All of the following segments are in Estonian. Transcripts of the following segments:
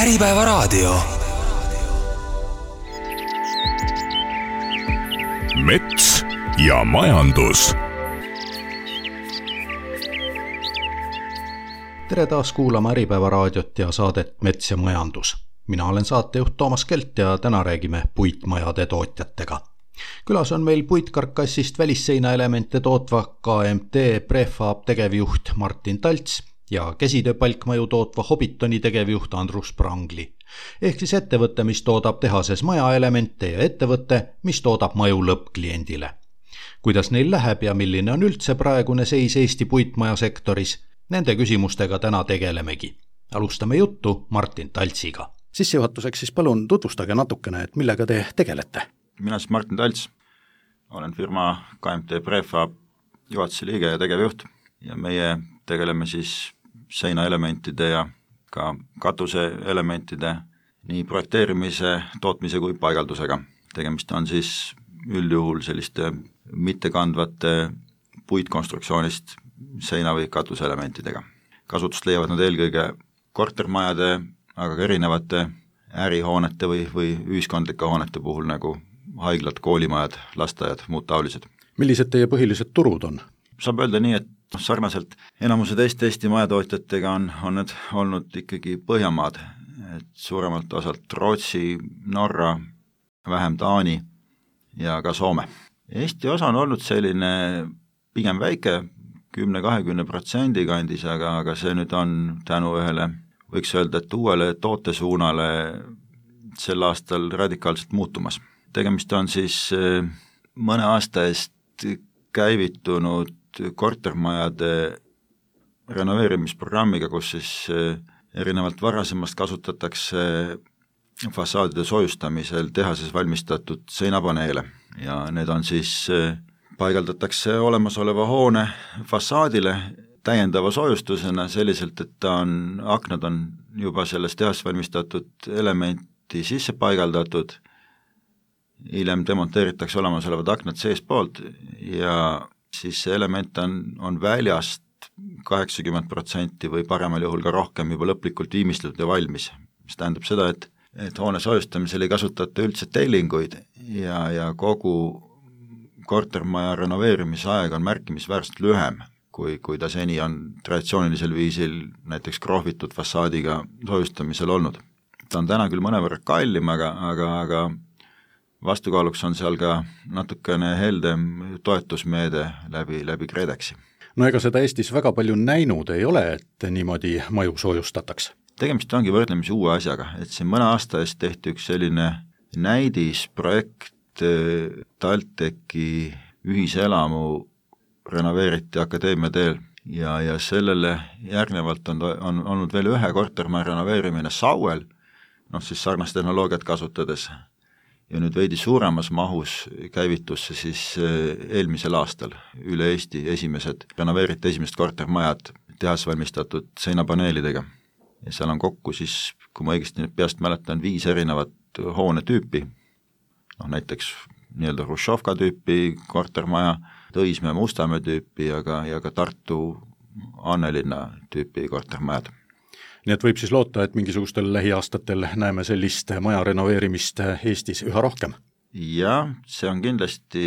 Äripäevaraadio. Mets ja majandus. Tere taas kuulama Äripäevaraadiot ja saadet Mets ja majandus. Mina olen saatejuht Toomas Kelt ja täna räägime puitmajade tootjatega. Külas on meil puitkarkassist välisseinaelemente tootva KMT Prefab tegevjuht Martin Talts ja käsitööpalkmaju tootva Hobbitoni tegevjuht Andrus Prangli. Ehk siis ettevõte, mis toodab tehases majaelemente ja ettevõte, mis toodab maju lõppkliendile. Kuidas neil läheb ja milline on üldse praegune seis Eesti puitmajasektoris? Nende küsimustega täna tegelemegi. Alustame juttu Martin Taltsiga. Sissejuhatuseks siis palun tutvustage natukene, et millega te tegelete. Mina siis Martin Talts, olen firma KMT Prefab juhatuse liige ja tegevjuht ja meie tegeleme siis seinaelementide ja ka katuseelementide nii projekteerimise, tootmise kui paigaldusega. Tegemist on siis üldjuhul selliste mittekandvate puitkonstruktsioonist seina- või katuseelementidega. Kasutust leiavad nad eelkõige kortermajade, aga ka erinevate ärihoonete või ühiskondlike hoonete puhul nagu haiglad, koolimajad, lasteaiad, muud taolised. Millised teie põhilised turud on? Saab öelda nii, et sarnaselt enamuse teiste Eesti majatootjatega on need olnud ikkagi Põhjamaad, et suuremalt osalt Rootsi, Norra, vähem Taani ja ka Soome. Eesti osa on olnud selline pigem väike, 10-20% kandis, aga see nüüd on tänu ühele, võiks öelda, et uuele tootesuunale sel aastal radikaalselt muutumas. Tegemist on siis mõne aasta eest käivitunud kortermajade renoveerimisprogrammiga, kus siis erinevalt varasemast kasutatakse fassaadide soojustamisel tehases valmistatud seinapaneele ja need on siis, paigaldatakse olemasoleva hoone fassaadile täiendava soojustusena selliselt, et aknad on juba selles tehas valmistatud elementi sisse paigaldatud, hiljem demonteeritakse olemasolevad aknad seespoolt ja siis see element on väljast 80% või paremal juhul ka rohkem juba lõplikult viimistletud ja valmis. Mis tähendab seda, et hoone soojustamisel ei kasutata üldse tellinguid ja kogu kortermaja renoveerimise aeg on märkimisväärselt lühem, kui ta seni on traditsioonilisel viisil näiteks krohvitud fassaadiga soojustamisel olnud. Ta on täna küll mõnevõrra kallim, aga vastukaaluks on seal ka natukene heldem toetusmeede läbi KredExi. No ega seda Eestis väga palju näinud ei ole, et niimoodi maju soojustatakse. Tegemist ongi võrdlemisi uue asjaga, et siin mõne aasta eest tehti üks selline näidisprojekt TalTechi ühiselamu renoveeriti Akadeemia teel ja sellele järgnevalt on olnud veel ühe kortermaja renoveerimine Sauel, siis sarnast tehnoloogiat kasutades. Ja nüüd veidi suuremas mahus käivitusse siis eelmisel aastal üle Eesti renoveeriti esimesed kortermajad tehas valmistatud seinapaneelidega. Ja seal on kokku siis, kui ma õigesti peast mäletan, 5 erinevat hoonetüüpi, näiteks nii-öelda Hruštšovka tüüpi kortermaja, Tõismäe Mustamäe tüüpi ja ka Tartu Annelinna tüüpi kortermajad. Nii et võib siis loota, et mingisugustel lähiaastatel näeme sellist maja renoveerimist Eestis üha rohkem? Jah, see on kindlasti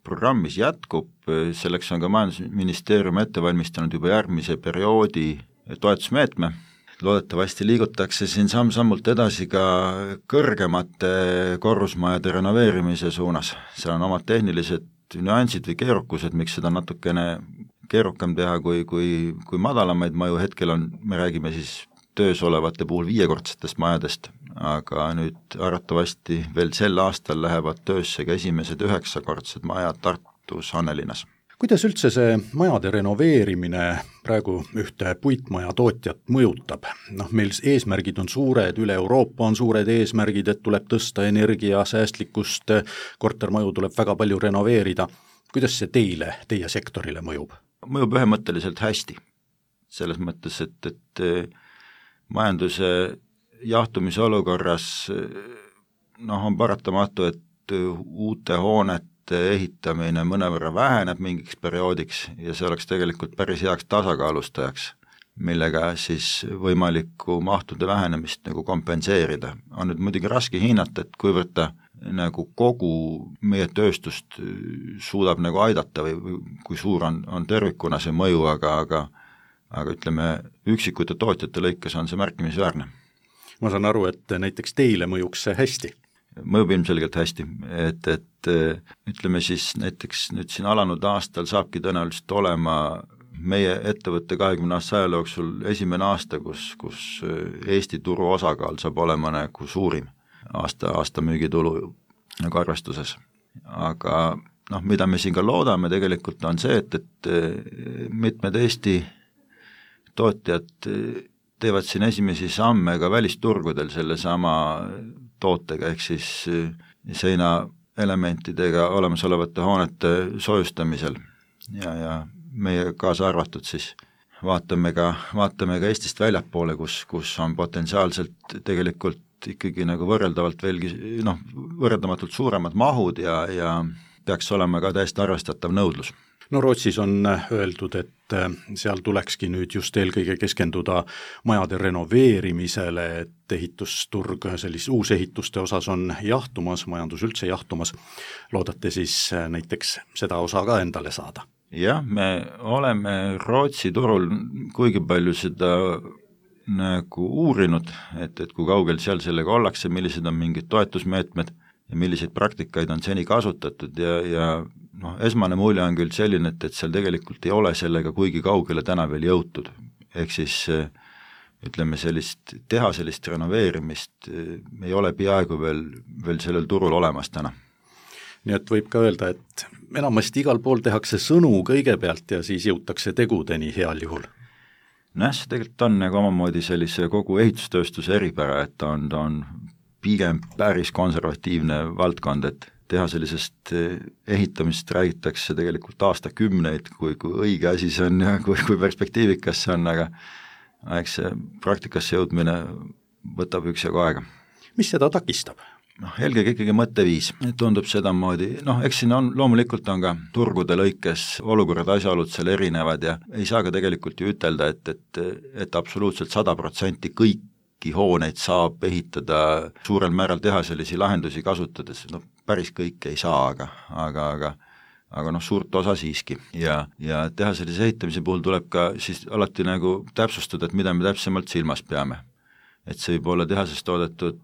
programmis jätkub, selleks on ka Majandusministeerium ette valmistanud juba järgmise perioodi toetusmeetme. Loodetavasti liigutakse siin samm-sammult edasi ka kõrgemate korrusmajade renoveerimise suunas. Seal on omad tehnilised nüansid või keerukused, miks seda natukene keerukam teha kui madalamaid maju. Hetkel me räägime siis töös olevate puhul 5-kordsetest majadest, aga nüüd arvatavasti veel sel aastal lähevad töösse ka esimesed 9-kordsed majad Tartus Annelinnas. Kuidas üldse see majade renoveerimine praegu ühte puitmaja tootjat mõjutab? Meil eesmärgid on suured, üle Euroopa on suured eesmärgid, et tuleb tõsta energiasäästlikkust, kortermaju tuleb väga palju renoveerida. Kuidas see teie sektorile mõjub? Mõjub ühemõtteliselt hästi. Selles mõttes, et majanduse jahtumise olukorras on paratamatu, et uute hoonete ehitamine mõnevõrra väheneb mingiks perioodiks ja see oleks tegelikult päris heaks tasakaalustajaks millega siis võimalikku mahtude vähenemist nagu kompenseerida. On nüüd muidugi raske hinnata, et kuivõrd ta nagu kogu meie tööstust suudab nagu aidata või kui suur on tervikuna see mõju, aga ütleme, üksikute tootjate lõikes on see märkimisväärne. Ma saan aru, et näiteks teile mõjuks see hästi? Mõjub ilmselgelt hästi, et ütleme siis näiteks nüüd siin alanud aastal saabki tõenäoliselt olema meie ettevõtte 20 aasta ajaloo jooksul esimene aasta, kus Eesti turu osakaal saab olema nagu suurim aasta müügitulu nagu arvestuses. Aga mida me siin ka loodame tegelikult on see, et mitmed Eesti tootjad teevad siin esimesi samme ka välisturgudel selle sama tootega, ehk siis seinaelementidega olemasolevate hoonete soojustamisel ja meie kaasa arvatud siis vaatame ka Eestist väljapoole, kus on potentsiaalselt tegelikult ikkagi nagu võrreldamatult suuremad mahud ja peaks olema ka täiesti arvestatav nõudlus. No Rootsis on öeldud, et seal tulekski nüüd just eelkõige keskenduda majade renoveerimisele, et ehitusturg uusehituste osas on jahtumas, majandus üldse jahtumas. Loodate siis näiteks seda osa ka endale saada? Jah, me oleme Rootsi turul kuigi palju seda nagu uurinud, et kui kaugel seal sellega ollakse, millised on mingid toetusmeetmed ja milliseid praktikaid on seni kasutatud ja esmane mulje on küll selline, et seal tegelikult ei ole sellega kuigi kaugele täna veel jõutud. Ehk siis ütleme teha sellist renoveerimist ei ole peaaegu veel sellel turul olemas täna. Nii et võib ka öelda, et enamasti igal pool tehakse sõnu kõigepealt ja siis jõutakse tegudeni heal juhul. See tegelikult on nagu omamoodi sellise kogu ehitustööstuse eripära, et ta on pigem päris konservatiivne valdkond, et teha sellisest ehitamist räägitakse tegelikult aastakümneid, kui õige asi see on ja kui perspektiivikas see on, aga eks see praktikasse jõudmine võtab üksjagu aega. Mis seda takistab? Eelkõige ikkagi mõtteviis, tundub sedamoodi, eks siin loomulikult on ka turgude lõikes olukorrad asjaolud seal erinevad ja ei saa ka tegelikult ju ütelda, et absoluutselt 100% kõiki hooneid saab ehitada suurel määral teha sellisi lahendusi kasutades, päris kõike ei saa, aga suurt osa siiski ja teha sellise ehitamise puhul tuleb ka siis alati nagu täpsustada, et mida me täpsemalt silmas peame. Et see võib olla tehases toodetud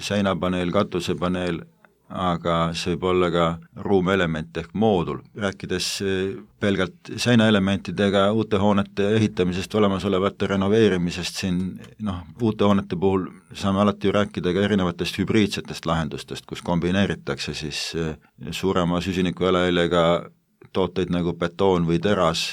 seinapaneel, katusepaneel, aga see võib olla ka ruumelement ehk moodul. Rääkides pelgalt seinaelementidega uute hoonete ehitamisest, olemasolevate renoveerimisest siin, uute hoonete puhul saame alati ju rääkida ka erinevatest hübriidsetest lahendustest, kus kombineeritakse siis suurema süsiniku jalajäljega tooteid nagu betoon või teras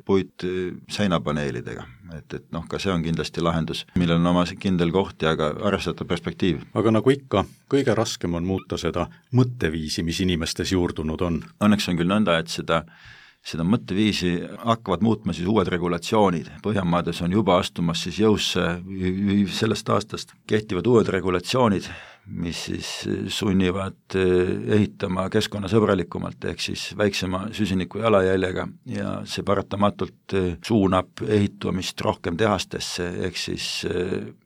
puit seinapaneelidega. Et ka see on kindlasti lahendus, millel on oma kindel koht ja ka arvestatav perspektiiv. Aga nagu ikka, kõige raskem on muuta seda mõtteviisi, mis inimestes juurdunud on. Õnneks on küll nõnda, et seda mõtteviisi hakkavad muutma siis uued regulatsioonid. Põhjamaades on juba astumas siis jõusse sellest aastast kehtivad uued regulatsioonid, mis siis sunnivad ehitama keskkonnasõbralikumalt ehk siis väiksema süsiniku jalajäljega ja see paratamatult suunab ehitumist rohkem tehastesse, ehk siis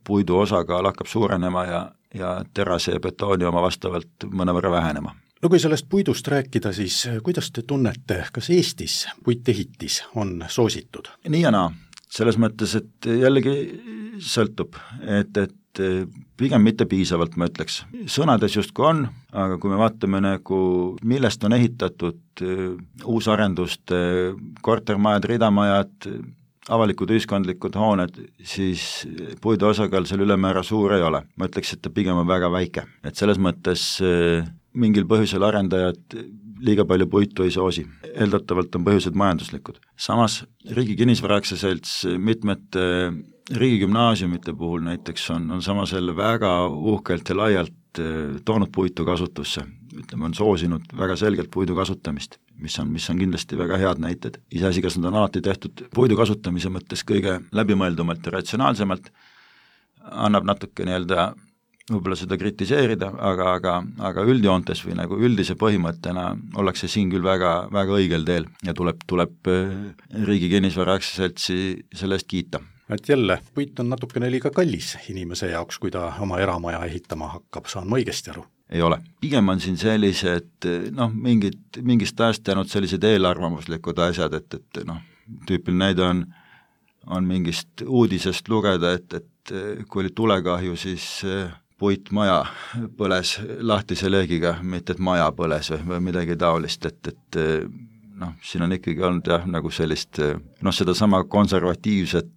puidu osakaal hakkab suurenema ja terase ja betooni oma vastavalt mõnevõrra vähenema. No kui sellest puidust rääkida, siis kuidas te tunnete, kas Eestis puitehitis on soositud? Nii ja naa, selles mõttes, et jällegi sõltub, et pigem mitte piisavalt, ma ütleks. Sõnades justkui on, aga kui me vaatame millest on ehitatud uusarenduste, kortermajad, ridamajad, avalikud ühiskondlikud hooned, siis puidu osakaal seal ülemäära suur ei ole. Ma ütleks, et ta pigem on väga väike. Et selles mõttes mingil põhjusel arendajad liiga palju puitu ei soosi. Eeldatavalt on põhjused majanduslikud. Samas Riigi Kinnisvara Aktsiaselts mitmete riigigümnaasiumite puhul näiteks on samas jälle väga uhkelt ja laialt toonud puitu kasutusse. Ütleme, on soosinud väga selgelt puidu kasutamist, mis on kindlasti väga head näited. Iseasi, kas nad on alati tehtud puidu kasutamise mõttes kõige läbimõeldumalt ja ratsionaalsemalt, annab natuke võib-olla seda kritiseerida, aga üldjoontes või nagu üldise põhimõttena ollakse siin küll väga, väga õigel teel ja tuleb Riigi Kinnisvara Aktsiaseltsi selle eest kiita. Et jälle, puit on natukene liiga kallis inimese jaoks, kui ta oma eramaja ehitama hakkab, saan ma õigesti aru? Ei ole. Pigem on siin sellised mingist ajast jäänud sellised eelarvamuslikud asjad, et tüüpiline näide on mingist uudisest lugeda, et kui oli tulekahju, siis puitmaja põles lahtise leegiga, mitte et maja põles või midagi taolist, et siin on ikkagi olnud nagu sellist, seda sama konservatiivset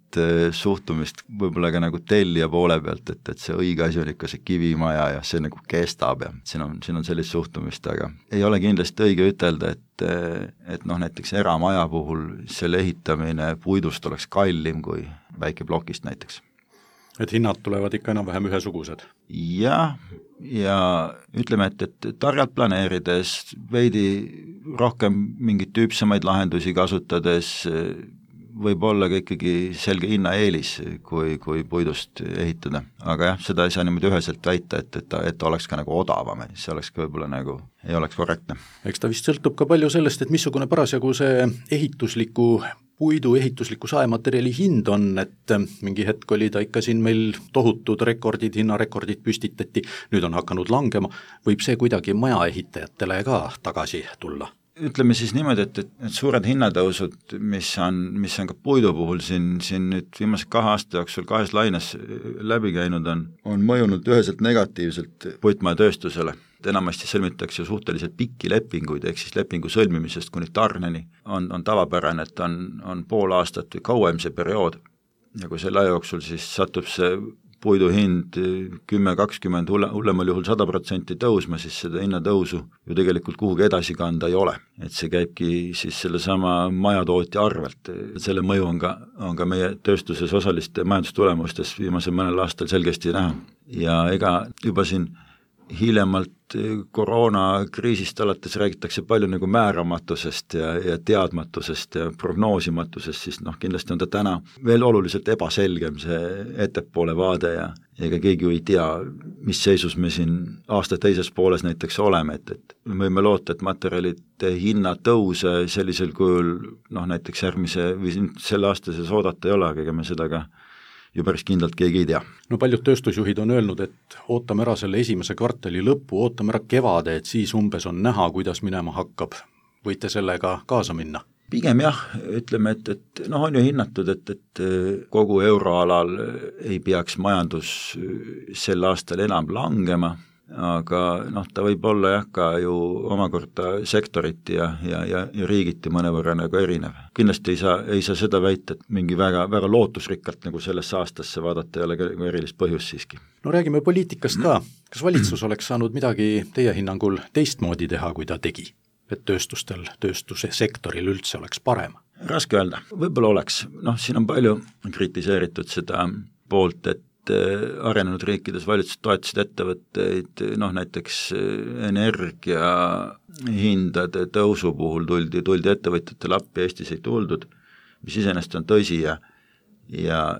suhtumist võib-olla ka nagu tellija poole pealt, et see õige asi on ikka see kivimaja ja see nagu kestab ja siin on sellist suhtumist, aga ei ole kindlasti õige ütelda, et näiteks eramaja puhul selle ehitamine puidust oleks kallim kui väikeplokist näiteks. Et hinnad tulevad ikka enam-vähem ühesugused? Ja ütleme, et targalt planeerides, veidi rohkem mingit tüüpsemaid lahendusi kasutades võib olla ka ikkagi selge hinnaeelis, kui puidust ehitada. Aga jah, seda ei saa niimoodi üheselt väita, et oleks ka nagu odavam, see oleks ka võib-olla nagu ei oleks korrektne. Eks ta vist sõltub ka palju sellest, et missugune parasjagu see puidu ehitusliku saematerjali hind on, et mingi hetk oli ta ikka siin meil tohutud hinnarekordid püstitati, nüüd on hakanud langema, võib see kuidagi majaehitajatele ka tagasi tulla? Ütleme siis niimoodi, et suured hinnatõusud, mis on ka puidu puhul siin nüüd viimase 2 aasta jooksul 2 laines läbi käinud on mõjunud üheselt negatiivselt puitmajatööstusele. Enamasti sõlmitakse suhteliselt pikki lepinguid, ehk siis lepingu sõlmimisest kuni tarneni on tavapärane, et on pool aastat või kauem see periood. Ja kui selle aja jooksul siis satub see puidu hind 10-20, hullemal juhul 100% tõusma, siis seda hinnatõusu ju tegelikult kuhugi edasi kanda ei ole. Et see käibki siis selle sama majatootja arvelt. Selle mõju on ka meie tööstuses osaliste majandustulemustes viimasel mõnel aastal selgesti näha. Ja ega juba siin hiljemalt koroonakriisist alates räägitakse palju nagu määramatusest ja teadmatusest ja prognoosimatusest, siis kindlasti on ta täna veel oluliselt ebaselgem see ettepoole vaade ja ega keegi ju ei tea, mis seisus me siin aasta teises pooles näiteks oleme, et me võime loota, et materjalide hinnatõuse sellisel kujul näiteks järgmise või selle aastases oodata ei ole, aga ega me seda ka ju päris kindlalt keegi ei tea. No paljud tööstusjuhid on öelnud, et ootame ära selle esimese kvartali lõppu, ootame ära kevade, et siis umbes on näha, kuidas minema hakkab. Võite sellega kaasa minna? Pigem jah, ütleme, et on ju hinnatud, et kogu euroalal ei peaks majandus sel aastal enam langema, aga ta võib olla jah ka ju omakorda sektoriti ja riigiti mõnevõrra nagu erinev. Kindlasti ei saa seda väita, et mingi väga, väga lootusrikkalt nagu sellesse aastasse vaadata ei ole ka erilist põhjust siiski. No räägime poliitikast ka. Kas valitsus oleks saanud midagi teie hinnangul teistmoodi teha, kui ta tegi? Et tööstuse sektoril üldse oleks parem? Raske öelda. Võib-olla oleks. Siin on palju kritiseeritud seda poolt, et arenenud riikides valitsused toetasid ettevõtteid, näiteks energia hindade tõusu puhul tuldi ettevõtjatele appi, Eestis ei tuldud, mis iseenesest on tõsi ja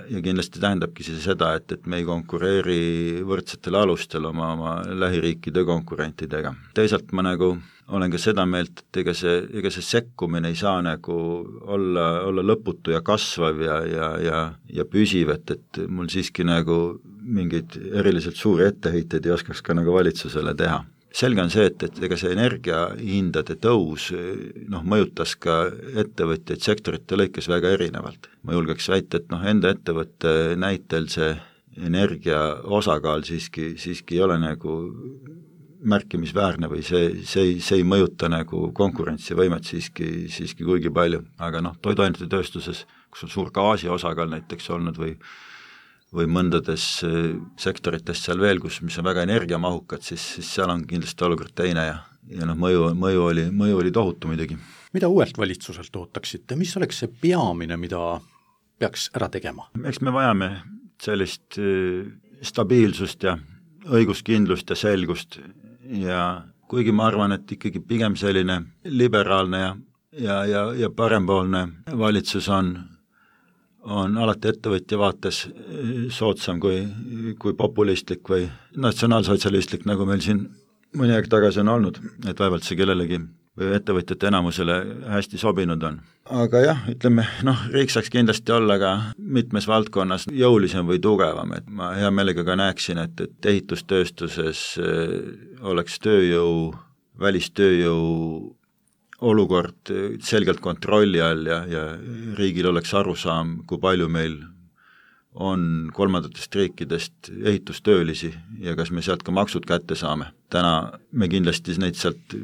kindlasti tähendabki seda, et me ei konkureeri võrdsetel alustel oma lähiriikide konkurentidega. Teisalt ma olen ka seda meelt, et ega see sekkumine ei saa olla lõputu ja kasvav ja püsiv, et mul siiski mingeid eriliselt suuri etteheiteid ei oskaks ka valitsusele teha. Selge on see, et ega see energiahindade tõus mõjutas ka ettevõtjaid sektorite lõikes väga erinevalt. Ma julgeks väita, et enda ettevõtte näitel see energia osakaal siiski ei ole märkimisväärne või see ei mõjuta konkurentsivõimet siiski kuigi palju, aga toiduainete tööstuses, kus on suur gaasi osakaal näiteks olnud või mõndades sektorites seal veel, mis on väga energiamahukad, siis seal on kindlasti olukord teine ja mõju oli tohutu muidugi. Mida uuelt valitsuselt ootaksite? Mis oleks see peamine, mida peaks ära tegema? Eks me vajame sellist stabiilsust ja õiguskindlust ja selgust ja kuigi ma arvan, et ikkagi pigem selline liberaalne ja parempoolne valitsus on alati ettevõtja vaates soodsam kui populistlik või natsionaalsotsialistlik, nagu meil siin mõni aeg tagasi on olnud, et vaevalt see kellelegi või ettevõtjate enamusele hästi sobinud on. aga jah, ütleme, riik saaks kindlasti olla ka mitmes valdkonnas jõulisem või tugevam, et ma hea meelega ka näeksin, et ehitustööstuses oleks välistööjõu olukord selgelt kontrolli all ja riigil oleks arusaam, kui palju meil on kolmandatest riikidest ehitustöölisi ja kas me sealt ka maksud kätte saame. Täna me kindlasti neid sealt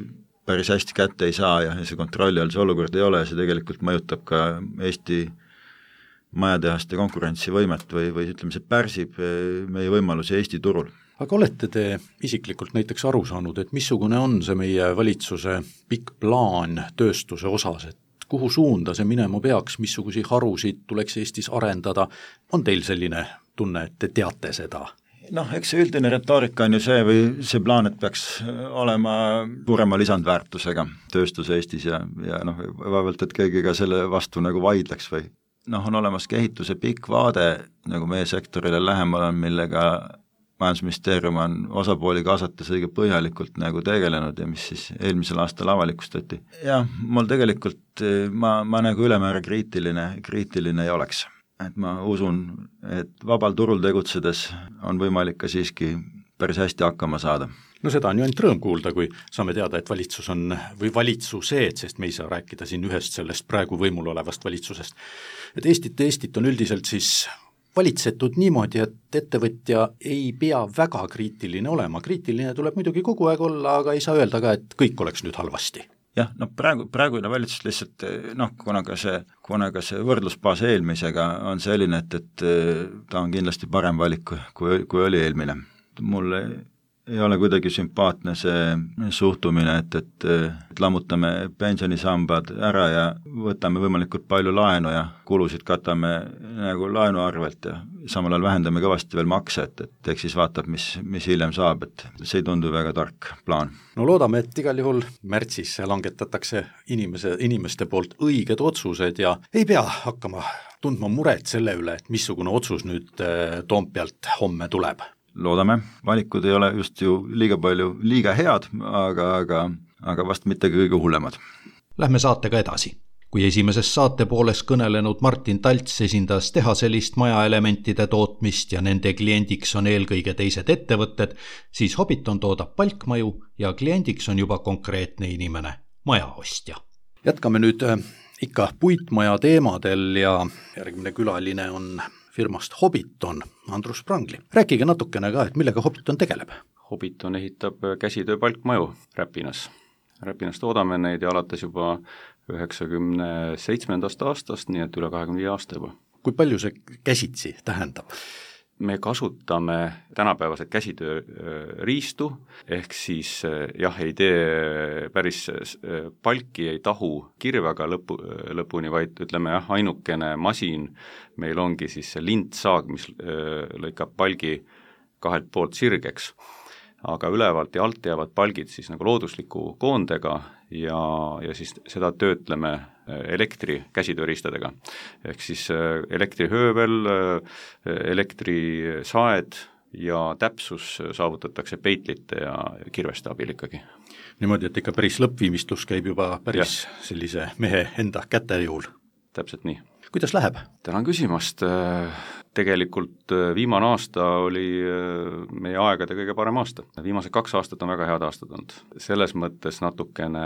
päris hästi kätte ei saa ja see kontrolli all see olukord ei ole ja see tegelikult mõjutab ka Eesti majatehaste konkurentsivõimet või ütleme, see pärsib meie võimalusi Eesti turul. Aga olete te isiklikult näiteks aru saanud, et missugune on see meie valitsuse pikk plaan tööstuse osas, et kuhu suunda see minema peaks, missuguseid harusid tuleks Eestis arendada, on teil selline tunne, et te teate seda? Eks see üldine retoorika on ju see või see plaan, et peaks olema suurema lisandväärtusega tööstus Eestis ja vaevalt, et keegi ka selle vastu nagu vaidleks või on olemas ka ehituse pikk vaade nagu meie sektorile lähemal on, millega Majandusministeerium on osapooli kaasates õige põhjalikult nagu tegelenud ja mis siis eelmisel aastal avalikustati. Ja mul tegelikult, ma nagu ülemäära kriitiline ei oleks. Et ma usun, et vabal turul tegutsedes on võimalik ka siiski päris hästi hakkama saada. No seda on ju ainult rõõm kuulda, kui saame teada, et valitsus on, või valitsused, sest me ei saa rääkida siin ühest sellest praegu võimul olevast valitsusest, et Eestit on üldiselt siis valitsetud niimoodi, et ettevõtja ei pea väga kriitiline olema. Kriitiline tuleb muidugi kogu aeg olla, aga ei saa öelda ka, et kõik oleks nüüd halvasti. Jah, praegune valitsus lihtsalt, kuna ka see võrdlusbaas eelmisega on selline, et ta on kindlasti parem valik, kui oli eelmine. Mulle ei ole kuidagi sümpaatne see suhtumine, et lammutame pensionisambad ära ja võtame võimalikult palju laenu ja kulusid katame nagu laenu arvelt ja samal ajal vähendame kõvasti veel makse, et eks siis vaatab, mis hiljem saab, et see ei tundu väga tark plaan. No loodame, et igal juhul märtsis langetatakse inimeste poolt õiged otsused ja ei pea hakkama tundma muret selle üle, et missugune otsus nüüd Toompealt homme tuleb. Loodame, valikud ei ole just ju liiga head, aga vast mitte kõige hullemad. Lähme saatega edasi. Kui esimeses saate pooles kõnelenud Martin Talts esindas tehaselist majaelementide tootmist ja nende kliendiks on eelkõige teised ettevõtted, siis Hobbiton toodab palkmaju ja kliendiks on juba konkreetne inimene, majaostja. Jätkame nüüd ikka puitmaja teemadel ja järgmine külaline on firmast Hobbiton, Andrus Prangli. Rääkige natukene ka, et millega Hobbiton tegeleb? Hobbiton ehitab käsitöö palkmaju Räpinas. Räpinas toodame neid ja alates juba 97. aastast, nii et üle 25 aasta juba. Kui palju see käsitsi tähendab? Me kasutame tänapäevased käsitöö riistu, ehk siis ei tee päris palki, ei tahu kirvega lõpuni, vaid ütleme ainukene masin meil ongi siis see lintsaag, mis lõikab palgi kahelt poolt sirgeks, aga ülevalt ja alt jäävad palgid siis nagu loodusliku koondega ja siis seda töötleme elektri käsitööriistadega. Ehk siis elektrihöövel, elektrisaed ja täpsus saavutatakse peitlite ja kirveste abil ikkagi. Niimoodi, et ikka päris lõppviimistlus käib juba päris sellise mehe enda käte juhul. Täpselt nii. Kuidas läheb? Tänan küsimast. Tegelikult viimane aasta oli meie aegade kõige parem aasta. Viimased 2 aastat on väga head aastad olnud. Selles mõttes natukene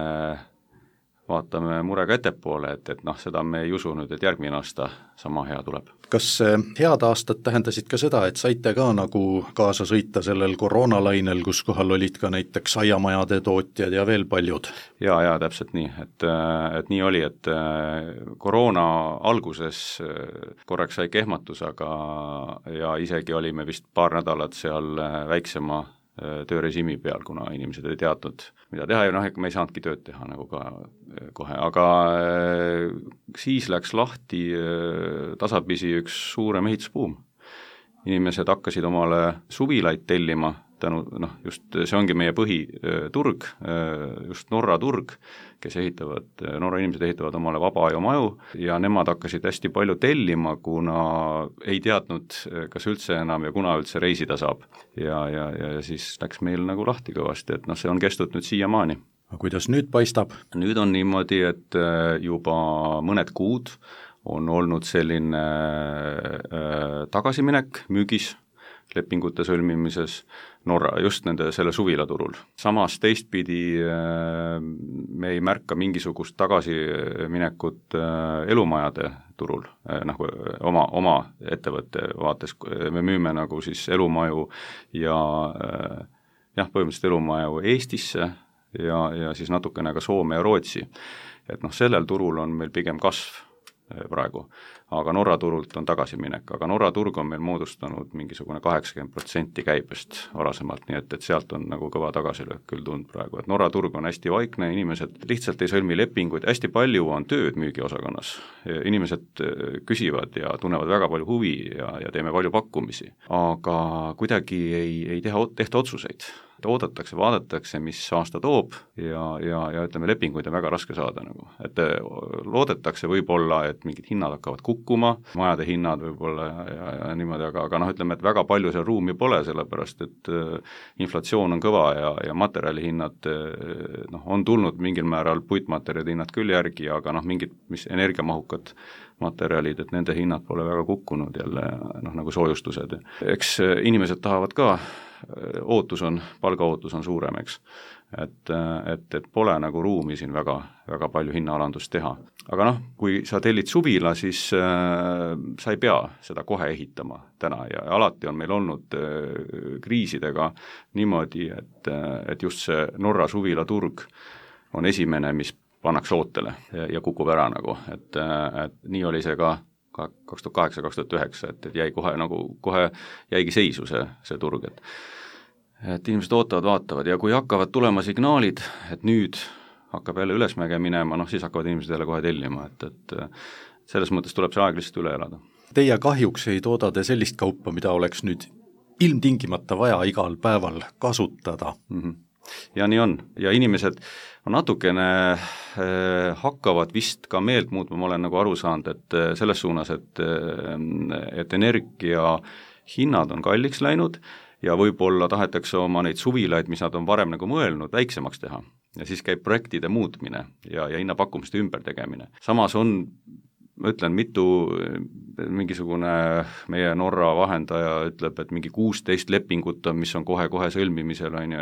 vaatame murega ettepoole, et seda me ei usu nüüd, et järgmine aasta sama hea tuleb. Kas head aastad tähendasid ka seda, et saite ka nagu kaasa sõita sellel koroonalainel, kus kohal olid ka näiteks aiamajade tootjad ja veel paljud? Ja täpselt nii, et nii oli, et koroona alguses korraks sai kehmatus, ja isegi olime vist paar nädalat seal väiksema töörežiimi peal, kuna inimesed ei teadnud, mida teha ja me ei saanudki tööd teha nagu ka kohe, aga siis läks lahti tasapisi üks suurem ehitusbuum. Inimesed hakkasid omale suvilaid tellima, just see ongi meie põhiturg, just Norra turg, Norra inimesed ehitavad omale vabaaijamaju ja nemad hakkasid hästi palju tellima, kuna ei teadnud, kas üldse enam ja kuna üldse reisida saab. Ja siis läks meil nagu lahti kõvasti, et see on kestnud nüüd siiamaani. aga kuidas nüüd paistab? Nüüd on niimoodi, et juba mõned kuud on olnud selline tagasiminek müügis, lepingute sõlmimises Norra, just selle suvila turul. Samas teistpidi me ei märka mingisugust tagasiminekut elumajade turul, nagu oma ettevõtte vaates, me müüme nagu siis elumaju ja põhimõtteliselt elumaju Eestisse ja siis natukene ka Soome ja Rootsi. Et sellel turul on meil pigem kasv praegu, aga Norra turult on tagasiminek, aga Norra turg on meil moodustanud mingisugune 80% käibest varasemalt, nii et sealt on nagu kõva tagasilöök küll tund praegu, et Norra turg on hästi vaikne, inimesed lihtsalt ei sõlmi lepinguid, hästi palju on tööd müügiosakonnas, inimesed küsivad ja tunnevad väga palju huvi ja teeme palju pakkumisi, aga kuidagi ei tehta otsuseid. Oodatakse, vaadatakse, mis aasta toob ja ütleme, lepinguid on väga raske saada nagu, et loodetakse võib-olla, et mingid hinnad hakkavad kukkuma, majade hinnad võib-olla ja niimoodi, aga ütleme, et väga palju seal ruumi pole, sellepärast et inflatsioon on kõva ja materjalihinnad on tulnud mingil määral puitmaterjalide hinnad küll järgi, aga mingid, mis energiamahukad materjalid, et nende hinnad pole väga kukkunud jälle, nagu soojustused. Eks inimesed tahavad ka, palgaootus on suurem, eks. Et pole nagu ruumi siin väga, väga palju hinnaalandust teha. Aga kui sa tellid suvila, siis sa ei pea seda kohe ehitama täna ja alati on meil olnud kriisidega niimoodi, et just see Norra suvila turg on esimene, mis pannakse ootele ja kukub ära nagu, et nii oli see ka 2008-2009, et jäi kohe jäigi seisu see turg, et inimesed ootavad, vaatavad ja kui hakkavad tulema signaalid, et nüüd hakkab jälle ülesmäge minema, siis hakkavad inimesed jälle kohe tellima, et selles mõttes tuleb see aeg lihtsalt üle elada. Teie kahjuks ei tooda te sellist kaupa, mida oleks nüüd ilmtingimata vaja igal päeval kasutada. Ja nii on, ja inimesed on natukene hakkavad vist ka meelt muutma, ma olen nagu aru saanud, et selles suunas, et energia hinnad on kalliks läinud ja võib-olla tahetakse oma neid suvilaid, mis nad on varem nagu mõelnud, väiksemaks teha ja siis käib projektide muutmine ja hinnapakkumiste ümbertegemine. Samas on, ma ütlen, mingisugune meie Norra vahendaja ütleb, et mingi 16 lepingut on, mis on kohe-kohe sõlmimisel, on ju,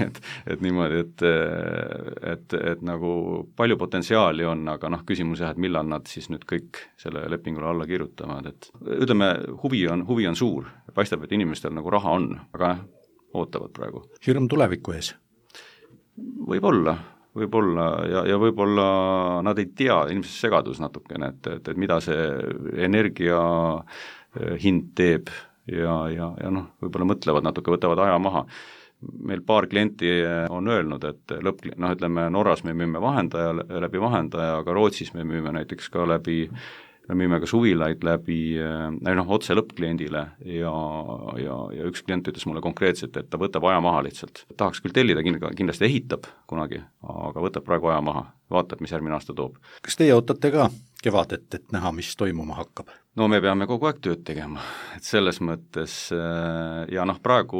et niimoodi, et nagu palju potentsiaali on, aga küsimus jah, et millal nad siis nüüd kõik selle lepingule alla kirjutavad, et ütleme, huvi on suur, paistab, et inimestel nagu raha on, aga ootavad praegu. Hirm tuleviku ees? Võib-olla ja võib-olla nad ei tea, ilmselt segadus natukene, et mida see energia hind teeb ja võib-olla mõtlevad natuke, võtavad aja maha. Meil paar klienti on öelnud, et ütleme, Norras me müüme läbi vahendaja, aga Rootsis me müüme näiteks ka me müüme ka suvilaid läbi otse lõppkliendile ja üks klient ütles mulle konkreetselt, et ta võtab aja maha lihtsalt. Tahaks küll tellida, kindlasti ehitab kunagi, aga võtab praegu aja maha, vaatab, mis järgmine aasta toob. Kas teie ootate ka kevadet, et näha, mis toimuma hakkab? No me peame kogu aeg tööd tegema, et selles mõttes ja praegu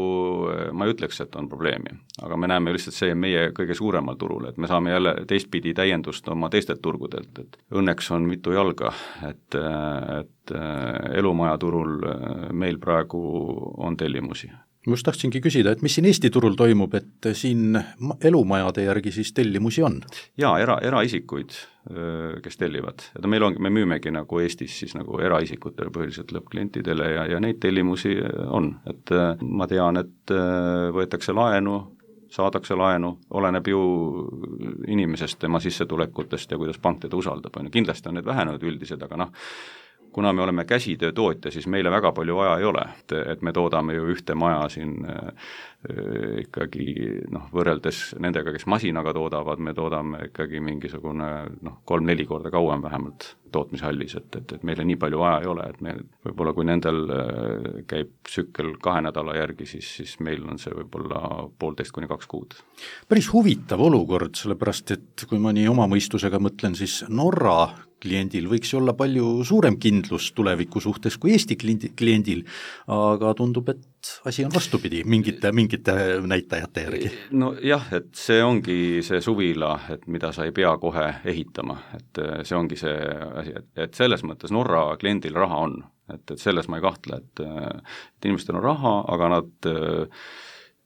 ma ei ütleks, et on probleemi, aga me näeme lihtsalt see meie kõige suuremal turul, et me saame jälle teistpidi täiendust oma teistelt turgudelt, et õnneks on mitu jalga, et elumaja turul meil praegu on tellimusi. Ma just tahtsingi küsida, et mis siin Eesti turul toimub, et siin elumajade järgi siis tellimusi on? Jaa, eraisikuid, kes tellivad. Me müümegi nagu Eestis siis nagu eraisikutele põhiliselt lõppklientidele ja neid tellimusi on. Et ma tean, et võetakse laenu, saadakse laenu, oleneb ju inimesest, tema sissetulekutest ja kuidas pank teda usaldab. Kindlasti on need vähenenud üldised, aga kuna me oleme käsitöötootja, siis meile väga palju vaja ei ole, et me toodame ju ühte maja siin ikkagi võrreldes nendega, kes masinaga toodavad, me toodame ikkagi mingisugune 3-4 korda kauem vähemalt tootmishallis, et meile nii palju vaja ei ole, et meil võib-olla kui nendel käib tsükkel 2 nädala järgi, siis meil on see võib-olla 1,5–2 kuud. Päris huvitav olukord, sellepärast et kui ma nii oma mõistusega mõtlen, siis Norra kliendil võiks olla palju suurem kindlus tuleviku suhtes kui Eesti kliendil, aga tundub, et asi on vastupidi mingite näitajate järgi. No jah, et see ongi see suvila, et mida sa ei pea kohe ehitama, et see ongi see asi, et selles mõttes Norra kliendil raha on, et selles ma ei kahtle, et inimestel on raha, aga nad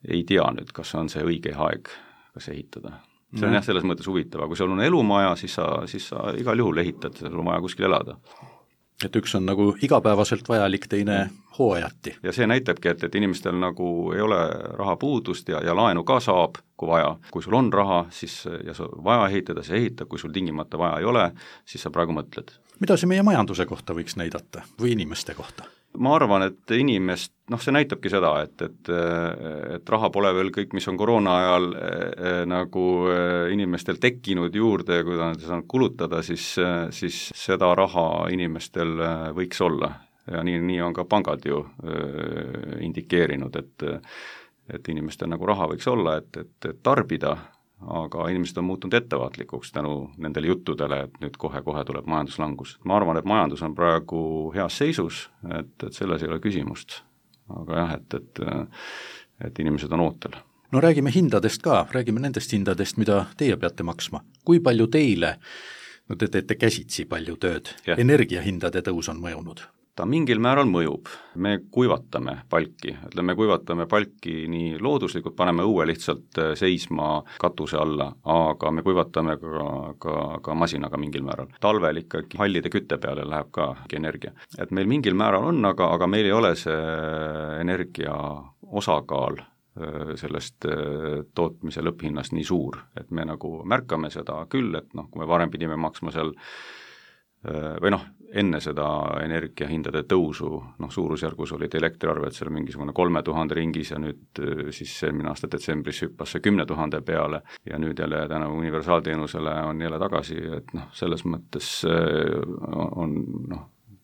ei tea nüüd, kas on see õige aeg, kas ehitada. See on jah selles mõttes huvitav, kui sul on elumaja, siis sa igal juhul ehitad, sul on vaja kuskil elada. Et üks on nagu igapäevaselt vajalik, teine hooajati. Ja see näitabki, et inimestel nagu ei ole raha puudust ja laenu ka saab, kui vaja. Kui sul on raha, siis ja sul vaja ehitada, siis ehita, kui sul tingimata vaja ei ole, siis sa praegu mõtled. Mida see meie majanduse kohta võiks näidata või inimeste kohta? Ma arvan, et inimest, see näitabki seda, et raha pole veel kõik, mis on koroona ajal nagu inimestel tekkinud juurde, kui ta saanud kulutada, siis seda raha inimestel võiks olla. Ja nii on ka pangad ju indikeerinud, et inimestel nagu raha võiks olla, et tarbida, aga inimesed on muutunud ettevaatlikuks tänu nendele juttudele, et nüüd kohe tuleb majanduslangus. Ma arvan, et majandus on praegu heas seisus, et selles ei ole küsimust. Aga jah, et inimesed on ootel. No räägime hindadest ka, räägime nendest hindadest, mida teie peate maksma. Kui palju teile, te teete käsitsi palju tööd, energiahindade tõus on mõjunud? Ta mingil määral mõjub. Me kuivatame palki, me kuivatame palki nii looduslikult, paneme õue lihtsalt seisma katuse alla, aga me kuivatame ka masinaga mingil määral. Talvel ikkagi hallide kütte peale läheb ka energia. Et meil mingil määral on, aga meil ei ole see energia osakaal sellest tootmise lõpphinnast nii suur, et me nagu märkame seda küll, et kui me varem pidime maksma seal või enne seda energiahindade tõusu, suurusjärgus olid elektriarved seal mingisugune 3000 ringis ja nüüd siis eelmine aasta detsembris hüppas see 10 000 peale ja nüüd jälle tänu universaalteenusele on jälle tagasi, et selles mõttes on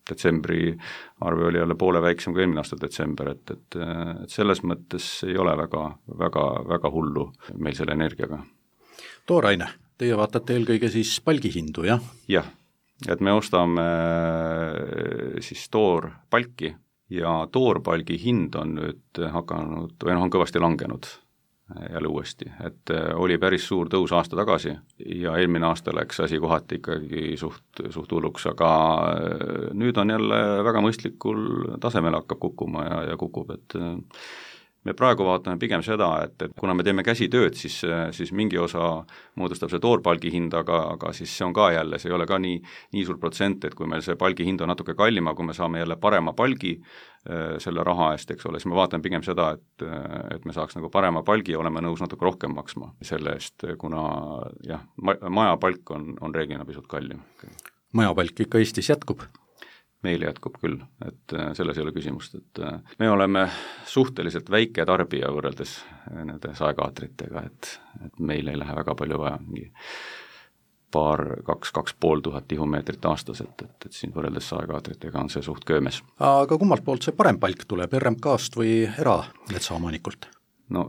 detsembri arve oli jälle poole väiksem kui eelmine aasta detsember, et selles mõttes ei ole väga hullu meil selle energiaga. Tooraine, teie vaatate eelkõige siis palgihindu, jah? Jah. Et me ostame siis toorpalki ja toorpalgi hind on nüüd hakanud, või on kõvasti langenud jälle uuesti, et oli päris suur tõus aasta tagasi ja eelmine aasta läks asi kohati ikkagi suht hulluks, aga nüüd on jälle väga mõistlikul tasemel hakkab kukkuma ja kukub, et me praegu vaatame pigem seda, et kuna me teeme käsitööd, siis mingi osa moodustab see toorpalgi hind, aga siis see on ka jälle, see ei ole ka nii suur protsent, et kui meil see palgi hind on natuke kallima, kui me saame jälle parema palgi selle raha eest, eks ole, siis me vaatame pigem seda, et me saaks nagu parema palgi ja oleme nõus natuke rohkem maksma selle eest, kuna jah, majapalk on reeglina pisut kallim. Majapalk ikka Eestis jätkub? Meil jätkub küll, et selles ei ole küsimust, et me oleme suhteliselt väike tarbija võrreldes nende saekaatritega, et meil ei lähe väga palju vaja, 2,5 tihumeetrit aastas, et siin võrreldes saekaatritega on see suht köömes. Aga kummalt poolt see parem palk tuleb, RMK-st või erametsaomanikult? No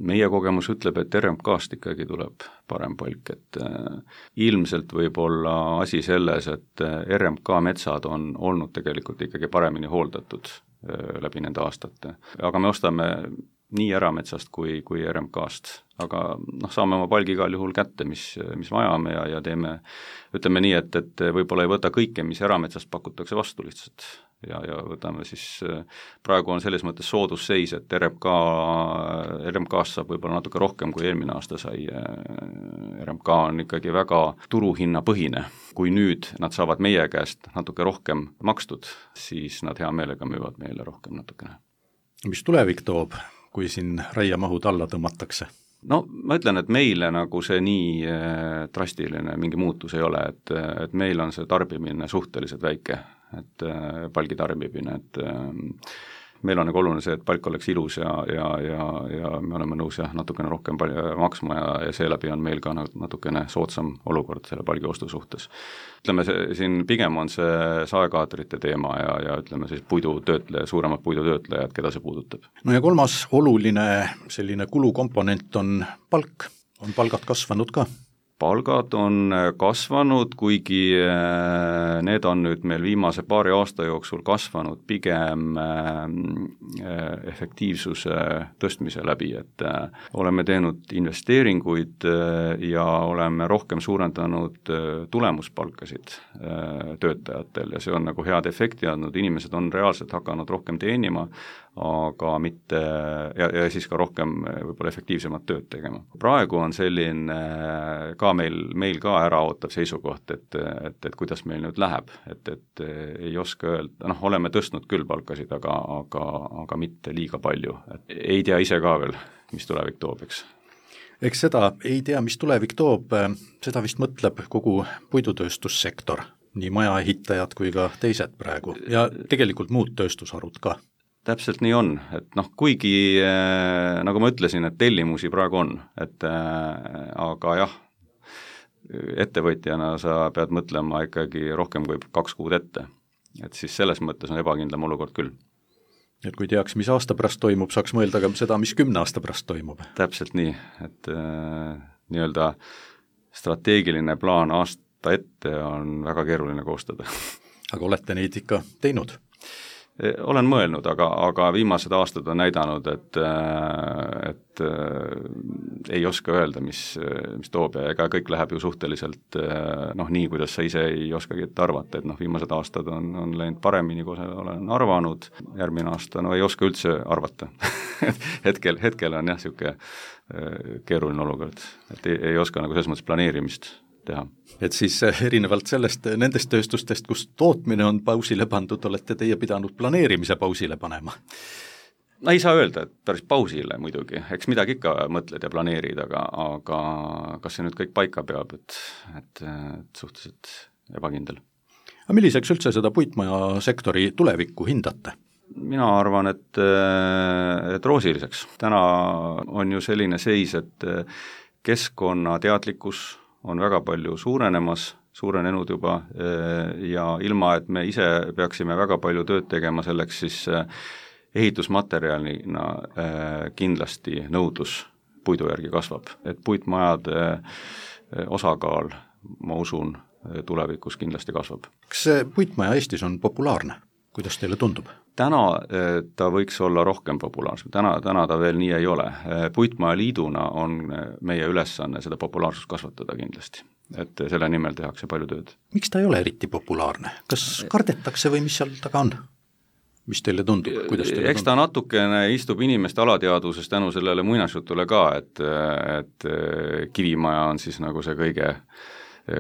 meie kogemus ütleb, et RMK-st ikkagi tuleb parem palk, et ilmselt võib olla asi selles, et RMK metsad on olnud tegelikult ikkagi paremini hooldatud läbi nende aastate, aga me ostame nii erametsast kui RMK-st, aga saame oma palgi igal juhul kätte, mis vajame ja teeme, ütleme nii, et võib-olla ei võta kõike, mis erametsast pakutakse vastu lihtsalt. Ja võtame siis, praegu on selles mõttes soodusseis, et RMK-st saab võib-olla natuke rohkem kui eelmine aasta sai. RMK on ikkagi väga turuhinna põhine. Kui nüüd nad saavad meie käest natuke rohkem makstud, siis nad hea meelega müüvad meile rohkem natukene. Mis tulevik toob, kui siin raiemahud alla tõmmatakse? No ma ütlen, et meile nagu see nii drastiline mingi muutus ei ole, et meil on see tarbimine suhteliselt väike, et palgi tarbimine, et meil on nagu oluline see, et palk oleks ilus ja me oleme nõus natukene rohkem maksma ja seeläbi on meil ka natukene soodsam olukord selle palgi ostu suhtes. Ütleme, siin pigem on see saekaatrite teema ja ütleme siis suuremad puidutöötlejad, keda see puudutab. No ja kolmas oluline selline kulukomponent on palk. On palgad kasvanud ka? palgad on kasvanud, kuigi need on nüüd meil viimase paari aasta jooksul kasvanud pigem efektiivsuse tõstmise läbi, et oleme teinud investeeringuid ja oleme rohkem suurendanud tulemuspalkasid töötajatel ja see on nagu head efekti andnud, inimesed on reaalselt hakanud rohkem teenima, aga mitte, ja siis ka rohkem võib-olla efektiivsemat tööd tegema. Praegu on selline ka meil ka äraootav seisukoht, et kuidas meil nüüd läheb, et ei oska öelda, oleme tõstnud küll palkasid, aga mitte liiga palju, et ei tea ise ka veel, mis tulevik toob, eks. Eks seda ei tea, mis tulevik toob, seda vist mõtleb kogu puidutööstussektor, nii majaehitajad kui ka teised praegu ja tegelikult muud tööstusharud ka. Täpselt nii on, et kuigi nagu ma ütlesin, et tellimusi praegu on, et aga jah, ettevõtjana sa pead mõtlema ikkagi rohkem kui 2 kuud ette, et siis selles mõttes on ebakindlam olukord küll. Et kui teaks, mis aasta pärast toimub, saaks mõelda ka seda, mis 10 aasta pärast toimub. Täpselt nii, et nii-öelda strateegiline plaan aasta ette on väga keeruline koostada. Aga olete neid ikka teinud? Olen mõelnud, aga viimased aastad on näidanud, et ei oska öelda, mis toob ja ega kõik läheb ju suhteliselt nii, kuidas sa ise ei oskagi arvata, et viimased aastad on läinud paremini, kui olen arvanud, järgmine aasta ei oska üldse arvata. hetkel on jah, niisugune keeruline olukord, et ei oska nagu selles mõttes planeerimist teha. Et siis erinevalt sellest, nendest tööstustest, kus tootmine on pausile pandud, olete teie pidanud planeerimise pausile panema? Ei saa öelda, et päris pausile muidugi, eks midagi ikka mõtled ja planeerid, aga kas see nüüd kõik paika peab, et suhteliselt ebakindel. Aga milliseks üldse seda puitmajasektori tulevikku hindate? Mina arvan, et roosiliseks. Täna on ju selline seis, et keskkonnateadlikkus on väga palju suurenenud juba ja ilma, et me ise peaksime väga palju tööd tegema selleks, siis ehitusmaterjalina kindlasti nõudlus puidu järgi kasvab. Et puitmajade osakaal, ma usun, tulevikus kindlasti kasvab. Kas see puitmaja Eestis on populaarne? Kuidas teile tundub? Täna ta võiks olla rohkem populaarsem, täna ta veel nii ei ole. Puitmaja liiduna on meie ülesanne seda populaarsust kasvatada kindlasti, et selle nimel tehakse palju tööd. Miks ta ei ole eriti populaarne? Kas kardetakse või mis seal taga on? Mis teile tundub? Kuidas teile Eks ta natukene istub inimeste alateadvuses tänu sellele muinasjutule ka, et kivimaja on siis nagu see kõige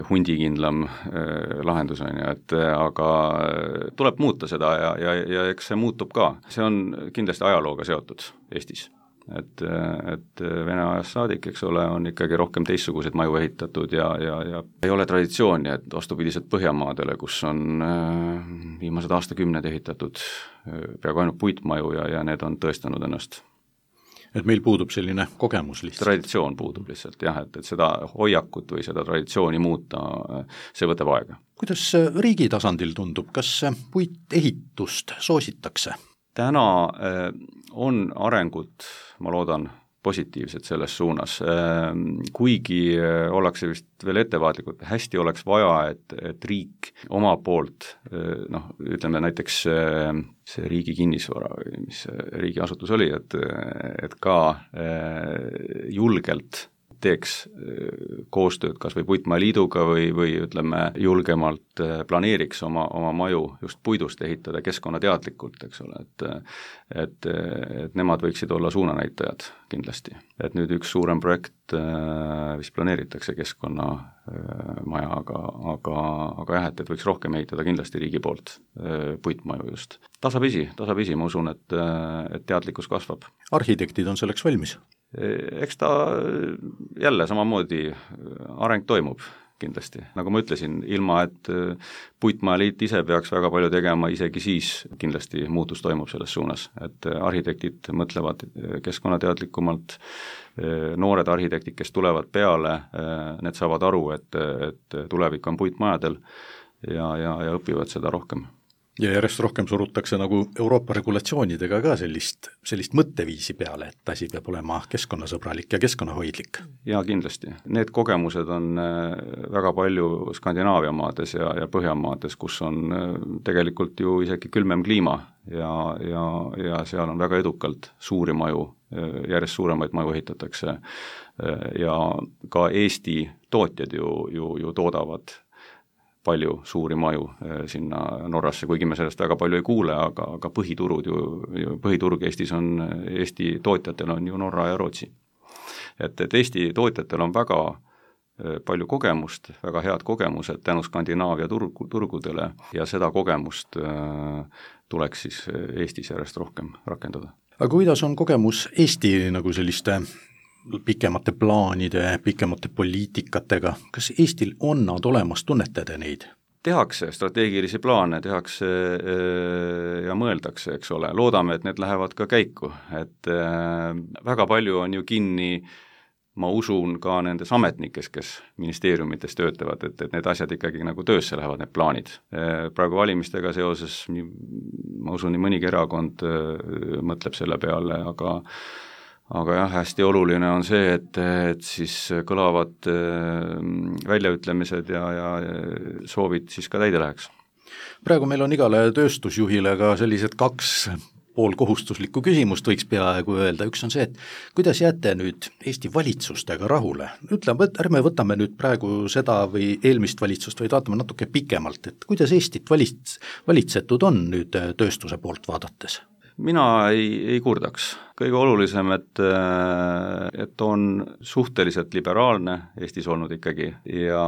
hundikindlam lahendus on ju, et aga tuleb muuta seda ja eks see muutub ka. See on kindlasti ajalooga seotud Eestis, et Vene ajast saadik, eks ole, on ikkagi rohkem teistsuguseid maju ehitatud ja ei ole traditsiooni, et vastupidiselt Põhjamaadele, kus on viimased aastakümned ehitatud peaaegu ainult puitmaju ja need on tõestanud ennast. Et meil puudub selline kogemus lihtsalt. Traditsioon puudub lihtsalt jah, et seda hoiakut või seda traditsiooni muuta, see võtab aega. Kuidas riigi tasandil tundub, kas puitehitust soositakse? Täna on arengut, ma loodan, positiivsed selles suunas, kuigi ollakse vist veel ettevaatlikult, hästi oleks vaja, et riik oma poolt, ütleme näiteks see riigi kinnisvara, mis riigiasutus oli, et ka julgelt teeks koostööd kas või Puitmajaliiduga või ütleme julgemalt planeeriks oma maju just puidust ehitada keskkonnateadlikult, eks ole, et nemad võiksid olla suunanäitajad kindlasti. Et nüüd üks suurem projekt vist planeeritakse keskkonnamaja, aga jah, et võiks rohkem ehitada kindlasti riigi poolt puitmaju just. Tasapisi, ma usun, et teadlikkus kasvab. Arhitektid on selleks valmis? Eks ta jälle samamoodi areng toimub kindlasti. Nagu ma ütlesin, ilma et Puitmajaliit ise peaks väga palju tegema, isegi siis kindlasti muutus toimub selles suunas, et arhitektid mõtlevad keskkonnateadlikumalt, noored arhitektid, kes tulevad peale, need saavad aru, et tulevik on puitmajadel ja õpivad seda rohkem. Ja järjest rohkem surutakse nagu Euroopa regulatsioonidega ka sellist mõtteviisi peale, et asi peab olema keskkonnasõbralik ja keskkonnahoidlik. Ja kindlasti. Need kogemused on väga palju Skandinaavia maades ja Põhjamaades, kus on tegelikult ju isegi külmem kliima ja seal on väga edukalt suuri maju, järjest suuremaid maju ehitatakse ja ka Eesti tootjad ju toodavad palju suuri maju sinna Norrasse, kuigi me sellest väga palju ei kuule, aga põhiturg Eestis on, Eesti tootjatel on ju Norra ja Rootsi. Et Eesti tootjatel on väga palju kogemust, väga head kogemused tänu Skandinaavia turgudele ja seda kogemust tuleks siis Eestis järjest rohkem rakendada. Aga kuidas on kogemus Eesti nagu selliste pikemate plaanide, pikemate poliitikatega, kas Eestil on nad olemas, tunnetada neid? Tehakse strateegilisi plaane, tehakse ja mõeldakse, eks ole, loodame, et need lähevad ka käiku, et väga palju on ju kinni, ma usun ka nendes ametnikes, kes ministeeriumites töötavad, et need asjad ikkagi nagu töösse lähevad, need plaanid. Praegu valimistega seoses, ma usun, nii mõnigi erakond mõtleb selle peale, aga jah, hästi oluline on see, et siis kõlavad väljaütlemised ja soovid siis ka täide läheks. Praegu meil on igale tööstusjuhile ka sellised 2 poolkohustuslikku küsimust, võiks peaaegu öelda. Üks on see, et kuidas jääte nüüd Eesti valitsustega rahule? Ärme võtame nüüd praegu seda või eelmist valitsust, vaid vaatame natuke pikemalt, et kuidas Eestit valitsetud on nüüd tööstuse poolt vaadates? Mina ei kurdaks. Kõige olulisem, et on suhteliselt liberaalne Eestis olnud ikkagi ja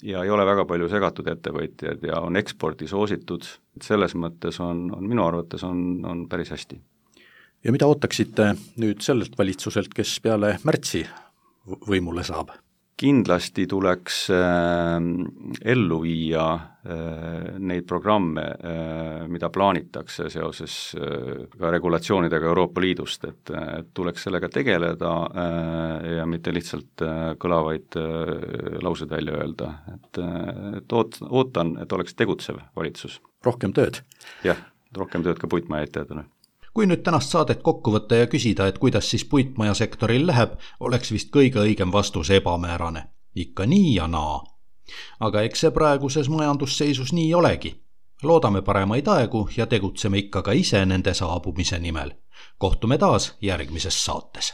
ei ole väga palju segatud ettevõtjad ja on ekspordi soositud. Selles mõttes on minu arvates on päris hästi. Ja mida ootaksite nüüd sellelt valitsuselt, kes peale märtsi võimule saab? Kindlasti tuleks ellu viia neid programme, mida plaanitakse seoses ka regulatsioonidega Euroopa Liidust, et tuleks sellega tegeleda ja mitte lihtsalt kõlavaid lauseid välja öelda, et ootan, et oleks tegutsev valitsus. Rohkem tööd? Jah, rohkem tööd ka puitmaja etajatele. Kui nüüd tänast saadet kokku võtta ja küsida, et kuidas siis puitmajasektoril läheb, oleks vist kõige õigem vastus ebamäärane. Ikka nii ja naa. Aga eks see praeguses majandusseisus nii olegi. Loodame paremaid aegu ja tegutseme ikka ka ise nende saabumise nimel. Kohtume taas järgmises saates.